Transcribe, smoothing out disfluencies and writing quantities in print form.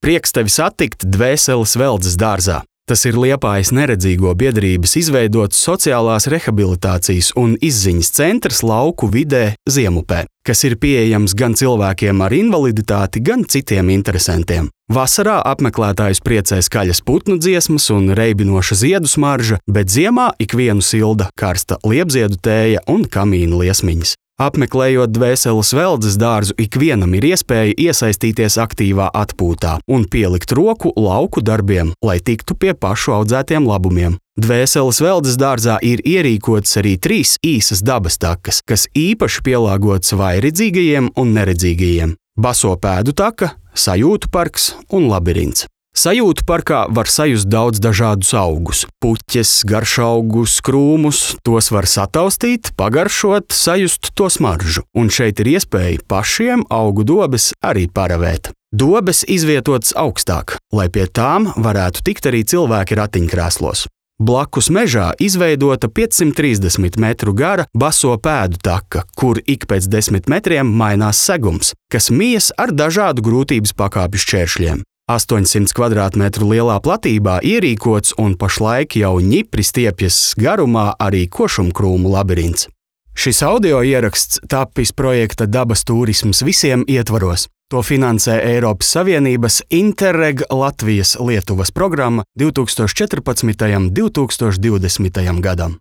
Prieks tevi satikt Dvēseles Veldzes dārzā. Tas ir Liepājas neredzīgo biedrības izveidots sociālās rehabilitācijas un izziņas centrs lauku vidē Ziemupē, kas ir pieejams gan cilvēkiem ar invaliditāti, gan citiem interesantiem. Vasarā apmeklētājus priecē skaļas putnu dziesmas un reibinoša ziedu smarža, bet ziemā ikvienu silda karsta liepziedu tēja un kamīnu liesmiņas. Apmeklējot Dvēseles Veldzes dārzu, ikvienam ir iespēja iesaistīties aktīvā atpūtā un pielikt roku lauku darbiem, lai tiktu pie pašu audzētiem labumiem. Dvēseles Veldzes dārzā ir ierīkotas arī 3 īsas dabas takas, kas īpaši pielāgotas vājredzīgajiem un neredzīgajiem. Baso pēdu taka, sajūtu parks un labirints. Sajūtu parkā var sajust daudz dažādus augus – puķes, garšaugus, krūmus, tos var sataustīt, pagaršot, sajust to smaržu. Un šeit ir iespēja pašiem augu dobes arī paravēt. Dobes izvietotas augstāk, lai pie tām varētu tikt arī cilvēki ratiņkrēslos. Blakus mežā izveidota 530 metru gara baso pēdu taka, kur ik pēc 10 metriem mainās segums, kas mijas ar dažādu grūtības pakāpju šķēršļiem. 800 kvadrātmetru lielā platībā ierīkots un pašlaik jau ņipri stiepjas garumā arī košumkrūmu labirints. Šis audio ieraksts tapis projekta Dabas turisms visiem ietvaros. To finansē Eiropas Savienības Interreg Latvijas-Lietuvas programma 2014. un 2020. gadam.